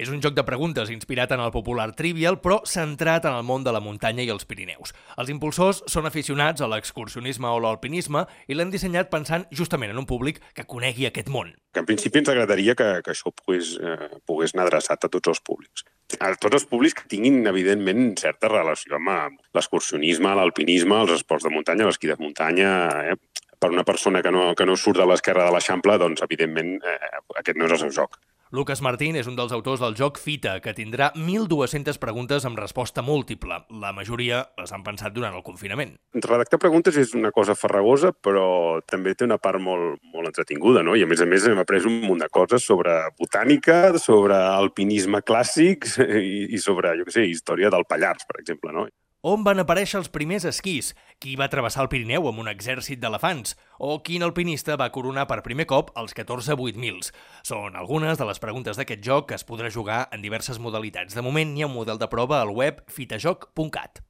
És un joc de preguntes inspirat en el popular Trivial, però centrat en el món de la muntanya i els Pirineus. Els impulsors són aficionats a l'excursionisme o l'alpinisme i l'han dissenyat pensant justament en un públic que conegui aquest món. Que en principi ens agradaria que això pogués anar adreçat a tots els públics. A tots els públics que tinguin, evidentment, certa relació amb l'excursionisme, l'alpinisme, els esports de muntanya, l'esquí de muntanya. Per una persona que no surt de l'esquerra de l'Eixample, doncs, evidentment, aquest no és el seu joc. Lucas Martín és un dels autors del joc Fita, que tindrà 1.200 preguntes amb resposta múltiple. La majoria les han pensat durant el confinament. Redactar preguntes és una cosa farragosa, però també té una part molt entretinguda, no? I a més hem après un munt de coses sobre botànica, sobre alpinisme clàssic i sobre, història del Pallars, per exemple, no? On van aparèixer els primers esquís? Qui va travessar el Pirineu amb un exèrcit d'elefants? O quin alpinista va coronar per primer cop els 14 8000s? Són algunes de les preguntes d'aquest joc que es podrà jugar en diverses modalitats. De moment hi ha un model de prova al web fitajoc.cat.